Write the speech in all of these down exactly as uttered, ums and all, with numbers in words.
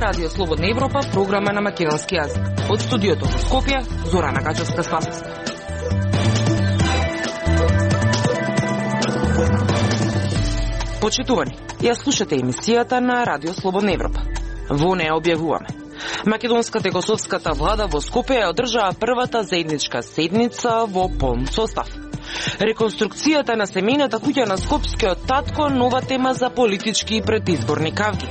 Радио Слободна Европа, програма на македонски јазик. Од студиото во Скопје, Зорана Качевска-Спасовска. Почитувани, ја слушате емисијата на Радио Слободна Европа. Во неја објавуваме. Македонската и косовската влада во Скопје ја одржаа првата заедничка седница во полн состав. Реконструкцијата на семејната куќа на скопскиот татко, нова тема за политички и предизборни кавги.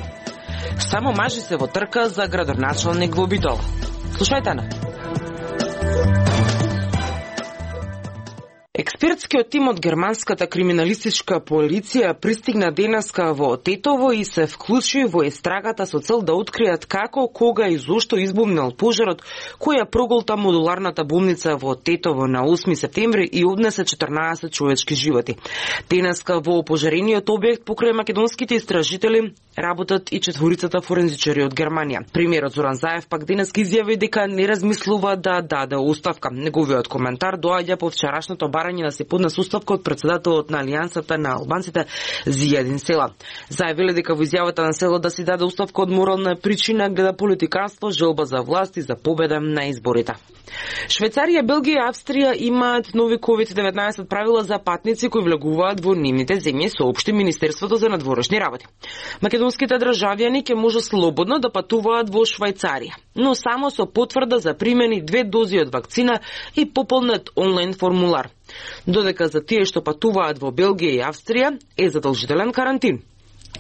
Само мажи се во трка за градоначалник во Битола. Слушајте на. Експертскиот тим од германската криминалистичка полиција пристигна денеска во Тетово и се вклучи во истрагата со цел да откријат како, кога и зошто избумнал пожарот кој ја проголта модуларната болница во Тетово на осми септември и однесе четрнаесет човечки животи. Денеска во опожарениот објект покрај македонските истражители работат и четворицата форензичари од Германија. Премиерот Зоран Заев пак денеска изјави дека не размислува да даде оставка. Неговиот коментар доаѓа по вчерашното барање да се поднесе оставка од председателот на Алијансата на албанците Зијадин Села. Заявиле дека во изјавата на Село да си даде оставка од морална причина гледа политиканство, желба за власт и за победа на изборите. Швајцарија, Белгија и Австрија имаат нови ковид деветнаесет правила за патници кои влегуваат во нивните земји, соопшти Министерството за надворешни работи. Македонските државјани ќе може слободно да патуваат во Швајцарија, но само со потврда за примени две дози од вакцина и пополнет онлайн формулар. Додека за тие што патуваат во Белгија и Австрија е задолжителен карантин,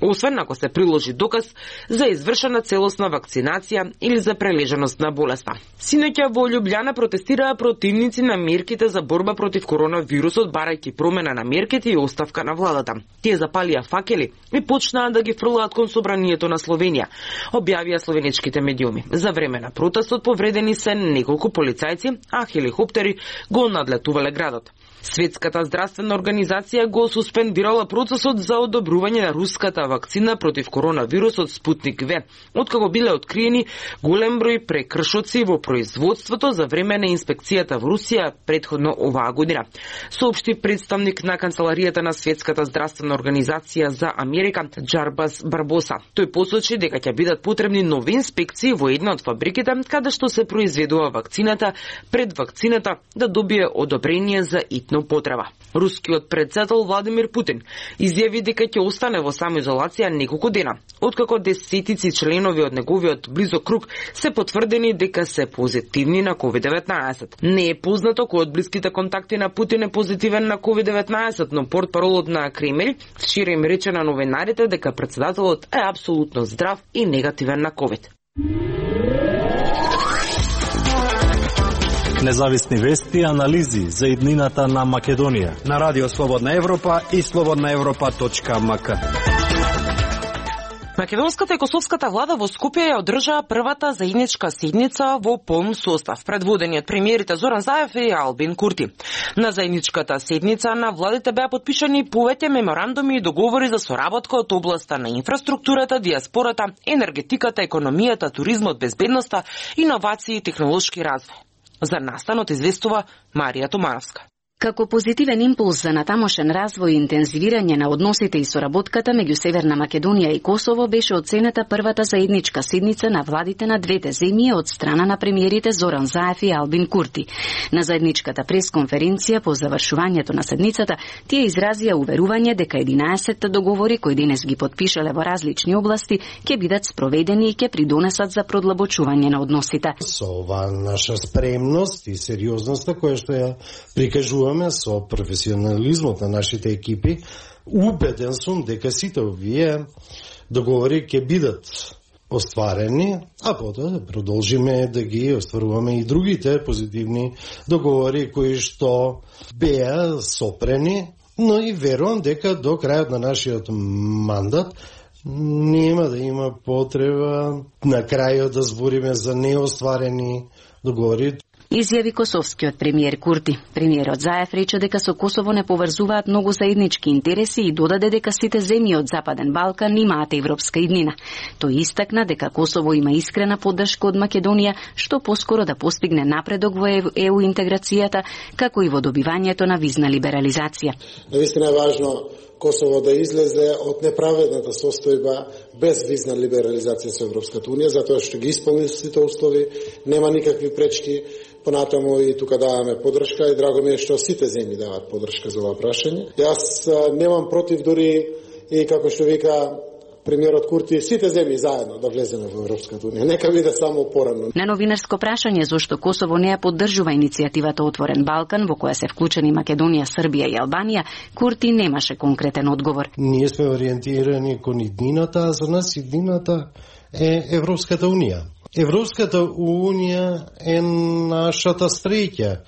освен ако се приложи доказ за извршена целосна вакцинација или за прележаност на болеста. Синоќа во Љубљана протестираа противници на мерките за борба против коронавирусот, барајќи промена на мерките и оставка на владата. Тие запалија факели и почнаа да ги фрлаат кон собранието на Словенија, објавија словеничките медиуми. За време на протестот повредени се неколку полицајци, а хеликоптери го надлетувале градот. Светската здравствена организација го суспендирала процесот за одобрување на руската вакцина против коронавирусот Спутник В, откако биле откриени голем број прекршоци во производството за време на инспекцијата во Русија претходно оваа година. Соопшти представник на канцеларијата на Светската здравствена организација за Америка Джарбас Барбоса. Тој посочи дека ќе бидат потребни нови инспекции во една од фабриките каде што се произведува вакцината пред вакцината да добие одобрение за итно потреба. Рускиот председател Владимир Путин изјави дека ќе остане во самоизолација неколку дена, откако десетици членови од неговиот близок круг се потврдени дека се позитивни на ковид деветнаесет. Не е познато кој од блиските контакти на Путин е позитивен на ковид деветнаесет, но портпаролот на Кремљ вчера им рече на новинарите дека председателот е апсолутно здрав и негативен на ковид. Независни вести и анализи за иднината на Македонија на Радио Слободна Европа и слободна европа точка ем ка. Македонската и косовската влада во Скопје ја одржаа првата заедничка седница во полн состав, предводени од премиерите Зоран Заев и Албин Курти. На заедничката седница на владите беа потпишани повеќе меморандуми и договори за соработка од областа на инфраструктурата, диаспората, енергетиката, економијата, туризмот, безбедноста, иновации и технолошки развој. За настанот известува Марија Томановска. Како позитивен импулс за натамошен развој и интензивирање на односите и соработката меѓу Северна Македонија и Косово беше оценета првата заедничка седница на владите на двете земји од страна на премиерите Зоран Заев и Албин Курти. На заедничката пресконференција по завршувањето на седницата тие изразија уверување дека единаесет договори кои денес ги потпишале во различни области ќе бидат спроведени и ќе придонесат за продлабочување на односите. Со оваа наша спремност и сериозноста која што ја прикажува со професионализмот на нашите екипи, убеден сум дека сите овие договори ќе бидат остварени, а потоа да продолжиме да ги остваруваме и другите позитивни договори кои што беа сопрени, но и верувам дека до крајот на нашиот мандат нема да има потреба на крајот да збориме за неостварени договори. Изјави косовскиот премиер Курти. Премиерот Заев рече дека со Косово не поврзуваат многу заеднички интереси и додаде дека сите земји од Западен Балкан имаат европска иднина. Тој истакна дека Косово има искрена поддршка од Македонија што поскоро да постигне напредок во е у интеграцијата, како и во добивањето на визна либерализација. Навистина е важно Косово да излезе од неправедната состојба без визна либерализација со Европската Унија, затоа што ги исполни сите услови, нема никакви пречки. Понатаму и тука даваме поддршка и драго ми е што сите земји даваат поддршка за ова прашање. Јас немам против дури и како што вика премиерот Курти, сите земји заедно да влеземе во Европската Унија. Нека биде само порано. На новинарско прашање зошто Косово не ја поддржува иницијативата Отворен Балкан, во која се вклучени Македонија, Србија и Албанија, Курти немаше конкретен одговор. Ние сме ориентирани кон иднината, а за нас иднината е Европската Унија. Европската Унија е нашата среќа,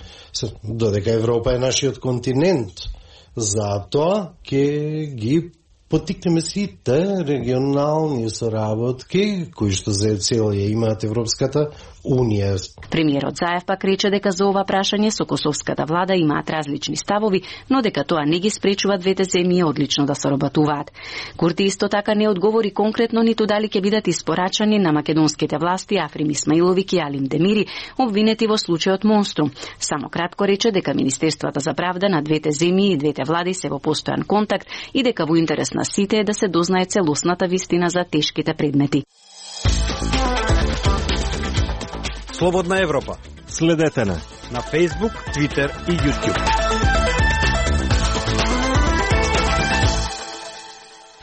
додека Европа е нашиот континент. Затоа ќе ги поттикнеме сите регионални соработки кои што за цел ја имаат Европската Унија. Премиерот Заев пак рече дека за ова прашање со косовската влада имаат различни ставови, но дека тоа не ги спречува двете земји одлично да соработуваат. Курти исто така не одговори конкретно ниту дали ќе бидат испорачани на македонските власти Африм Исмаиловиќ и Алим Демири, обвинети во случајот Монструм. Само кратко рече дека Министерствата за правда на двете земји и двете влади се во постојан контакт и дека во интерес на сите е да се дознае целосната вистина за тешките предмети. Слободна Европа. Следете на на Facebook, Twitter и YouTube.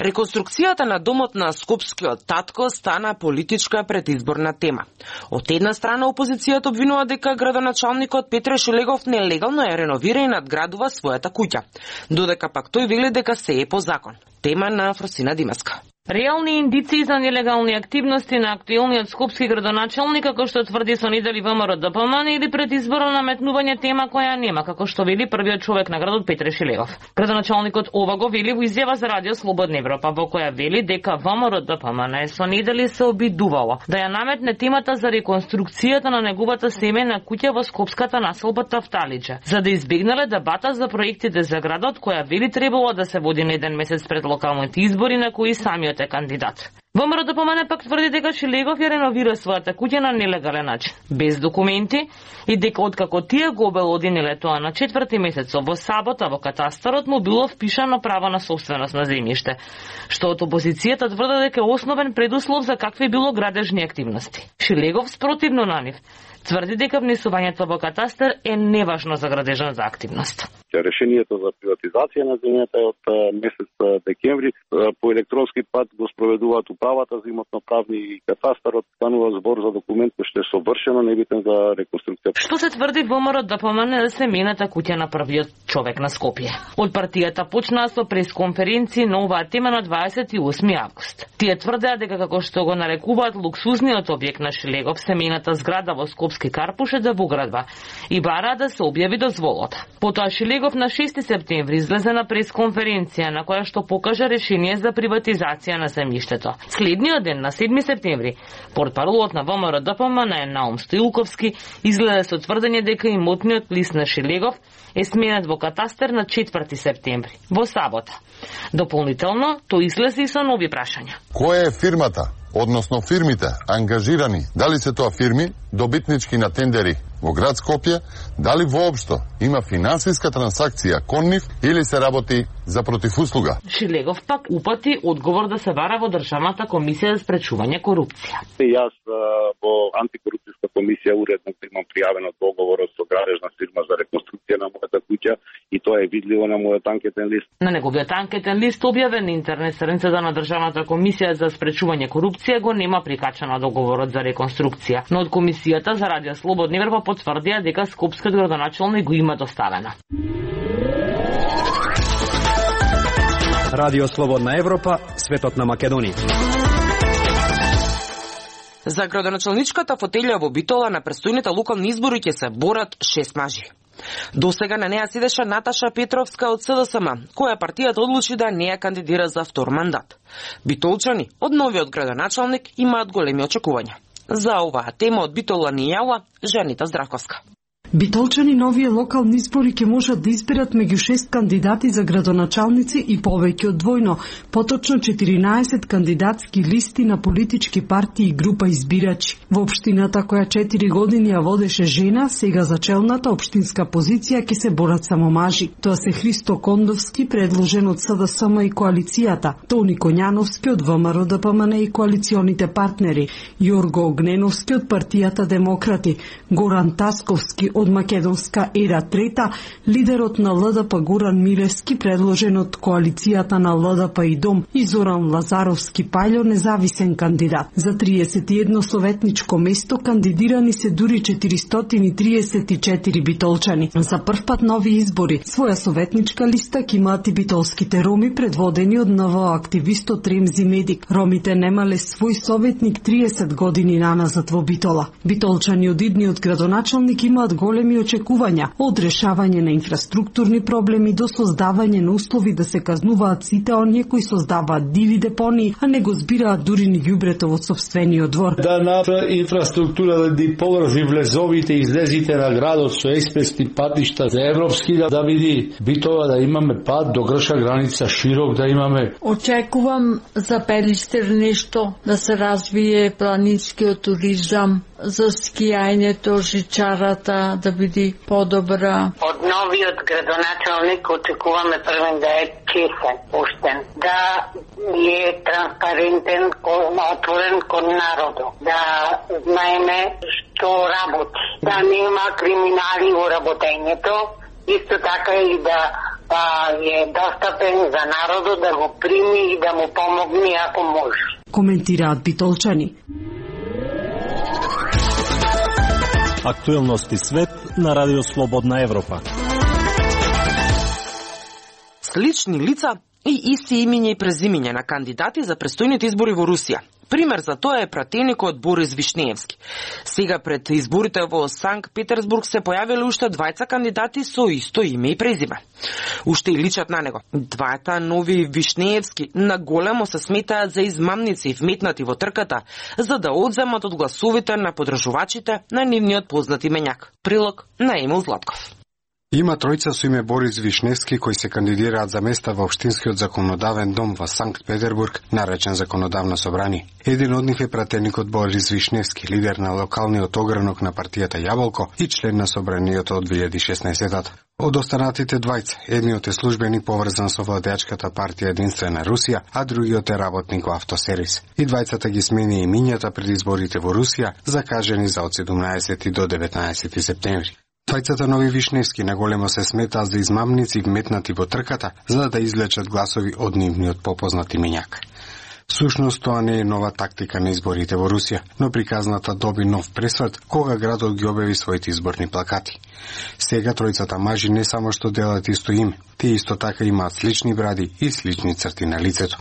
Реконструкцијата на домот на скопскиот татко стана политичка предизборна тема. Од една страна опозицијата обвинува дека градоначалникот Петре Шилегов нелегално е реновира и надградува својата куќа, додека пак тој вели дека се е по закон. Тема на Фросина Димаска. Реални индиции за нелегални активности на актуелниот скопски градоначалник, како што тврди со недели ВМРО ДПМН, или предизборно наметнување тема која нема, како што вели првиот човек на градот Петре Шилегов. Градоначалникот ова го вели во изјава за Радио Слободна Европа, во која вели дека ВМРО ДПМН со недели се обидувало да ја наметне темата за реконструкцијата на неговата семејна куќа во скопската населба Тафталиџа, за да избегнале дебата за проектите за градот, која вели требало да се води на еден месец пред локалните избори на кои самиот е кандидат. ВМРО ДПМН пак тврди дека Шилегов ја реновира својата куќа на нелегален начин, без документи, и дека откако тие го обелодениле тоа на четврти месец во сабота во катастарот му било впишано право на собственост на земјиште, што од опозицијата тврди дека е основен предуслов за какви било градежни активности. Шилегов, спротивно на нив, тврди дека внесувањето во катастар е неважно за градежната активност. Решението за приватизација на земјата е од месец декември. По електронски пат го спроведуваат управата за имотно-правни и катастарот. Станува збор за документ кој што е совршено небитен за реконструкција. Што се тврди ВМРО ДПМН за семејната куќа на првиот човек на Скопје? Од партијата почнаа со пресконференција на оваа тема на дваесет и осми август. Тие тврдеа дека како што го нарекуваат луксузниот објект на Шилегов, семејната зграда во Скопски Карпуш е да во градба и бараа да се објави дозволата. Потоа Шилегов на шести септември излезе на пресконференција на која што покажа решение за приватизација на земјиштето. Следниот ден, на седми септември, портпаролот на ВМРО ДПМН Наум Стоилковски излезе со тврдење дека имотниот лист на Шилегов е сменет во катастар на четврти септември, во сабота. Дополнително, тој излезе и со нови прашања. Која е фирмата, односно фирмите ангажирани, дали се тоа фирми добитнички на тендери во град Скопје, дали воопшто има финансиска трансакција кон нив или се работи за противуслуга? Шилегов пак упати одговор да се бара во Државната комисија за спречување корупција. Јас во антикорупцијска комисија уредно имам пријавено договорот со градежна фирма за реконструкција на мојата куќа и тоа е видливо на мојот анкетен лист. На неговиот анкетен лист објавен на интернет страницата на Државната комисија за спречување корупција го нема прикачано договорот за реконструкција, но од комисијата за Радио Слободна Европа потврдија дека скопскиот градоначалник го има доставено. Радио Слободна Европа, светот на Македонија. За градоначалничката фотелја во Битола на престојните локални избори ќе се борат шест мажи. До сега на неа седеше Наташа Петровска од СДСМ, која партијата одлучи да не ја кандидира за втор мандат. Битолчани од новиот градоначалник имаат големи очекувања. За оваа тема од Битола ни јава Жанита Здравковска. Битолчани новие локални избори ќе можат да изберат меѓу шест кандидати за градоначалници и повеќе од двојно, поточно четиринаесет кандидатски листи на политички партии и група избирачи. Во општината која четири години ја водеше жена, сега за челната општинска позиција ќе се борат само мажи. Тоа се Христо Кондовски, предложен од СДСМ и коалицијата, Тони Коњановски од ВМРО-ДПМН и коалиционите партнери, Јорго Огненовски од партијата Демократи, Горан Тасковски од Македонска ера трета, лидерот на ЛДП Горан Милевски, предложен од коалицијата на ЛДП и Дом, и Зоран Лазаровски Пајло, независен кандидат. За триесет и едно советничко место кандидирани се дури четиристотини и триесет и четири битолчани. За прв пат нови избори своја советничка листа ќе имаат и битолските роми, предводени од НВО активистот Ремзи Медик. Ромите немале свој советник триесет години наназад во Битола. Битолчани од идниот градоначалник имаат големи очекувања од решавање на инфраструктурни проблеми до создавање на услови да се казнуваат сите оние кои создаваат диви депонии, а не го збираат дури ни ѓубрето во сопствениот двор. Да на инфраструктура да ди поврзи влезовите и излезите на градот со експресни патишта за европски да, да види Битола да имаме пат до грша граница широк да имаме. Очекувам за Пелистер нешто да се развие планинскиот туризам, за скијањето, жичарата да биде подобра. Од новиот градоначалник очекуваме првен да е честен, поштен, да е транспарентен, отворен кон народот, да знаеме што работи, да нема криминали во работењето, исто така и да па, е достапен за народот да го прими и да му помогне ако може. Коментираат битолчани. Актуелности свет на Радио Слободна Европа. Слични лица и исти имиња и презимиња на кандидати за престојните избори во Русија. Пример за тоа е пратеникот Борис Вишнеевски. Сега пред изборите во Санкт Петербург се појавиле уште двајца кандидати со исто име и презиме. Уште и личат на него. Двајата нови Вишнеевски наголемо се сметаат за измамници вметнати во трката за да одземат од гласовите на подржувачите на нивниот познат именјак. Прилог на Емил Златков. Има тројца со име Борис Вишневски кои се кандидираат за места во Општинскиот законодавен дом во Санкт Петербург, наречен Законодавно собрание. Еден од нив е пратеникот Борис Вишневски, лидер на локалниот огранок на партијата Јаболко и член на собранието од две илјади и шеснаесетта. Од останатите двајца, едниот е службеник поврзан со владеачката партија Единствена Русија, а другиот е работник во автосервис. И двајцата ги смени имињата пред изборите во Русија, закажени за од седумнаесети до деветнаесети септември. Двајцата нови Вишневски наголемо се сметаат за измамници вметнати во трката за да извлечат гласови од нивниот попознат имињак. Всушност тоа не е нова тактика на изборите во Русија, но приказната доби нов пресврт кога градот ги објави своите изборни плакати. Сега тројцата мажи не само што делат исто име, тие исто така имаат слични бради и слични црти на лицето.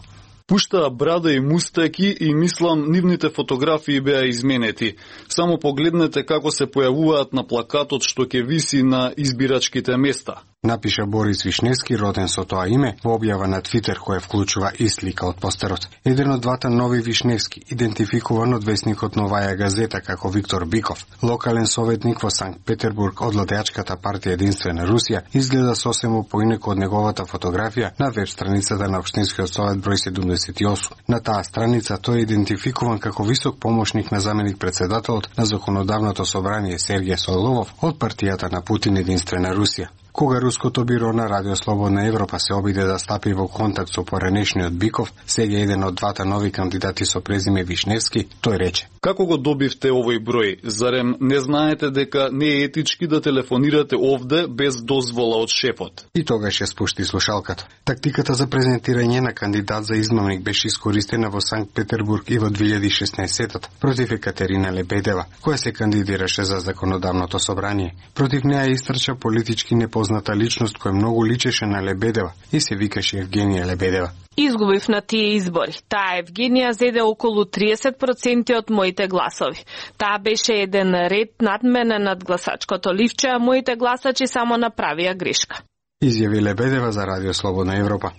Пуштаа брада и мустаки и мислам нивните фотографии беа изменети. Само погледнете како се појавуваат на плакатот што ќе виси на избирачките места. Напиша Борис Вишневски, роден со тоа име, во објава на Твитер која вклучува и слика од постерот. Еден од двата нови Вишневски, идентификуван од весникот Новаја газета како Виктор Биков, локален советник во Санкт Петербург од владеачката партија Единствена Русија, изгледа сосема поинаку од неговата фотографија на веб страницата на Општинскиот совет број седумдесет и осум. На таа страница тој е идентификуван како висок помошник на заменик председателот на Законодавното собрание Сергеј Соловов од партијата на Путин Единствена Русија. Кога Руското биро на Радио Слободна Европа се обиде да стапи во контакт со поранешниот Биков, сега еден од двата нови кандидати со презиме Вишневски, тој рече: Како го добивте овој број? Зарем не знаете дека не е етички да телефонирате овде без дозвола од шефот? И тогаш ја спушти слушалката. Тактиката за презентирање на кандидат за измамник беше искористена во Санкт Петербург и во две илјади и шеснаесетта против Екатерина Лебедева, која се кандидираше за Законодавното собрание. Против неа истрча политички непозната личност која многу личеше на Лебедева и се викаше Евгенија Лебедева. Изгубив на тие избори. Таа Евгенија зеде околу триесет проценти од моите гласови. Таа беше еден ред над мене над гласачкото ливче, а моите гласачи само направија грешка. Изјави Лебедева за Радио Слободна Европа.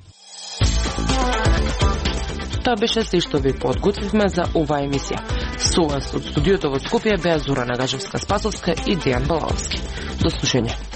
Тоа беше се што ви подготвивме за оваа емисија. Со вас од студиото во Скопје беа Зора Нагажевска-Спасовска и Дејан Балаовски. До слушање.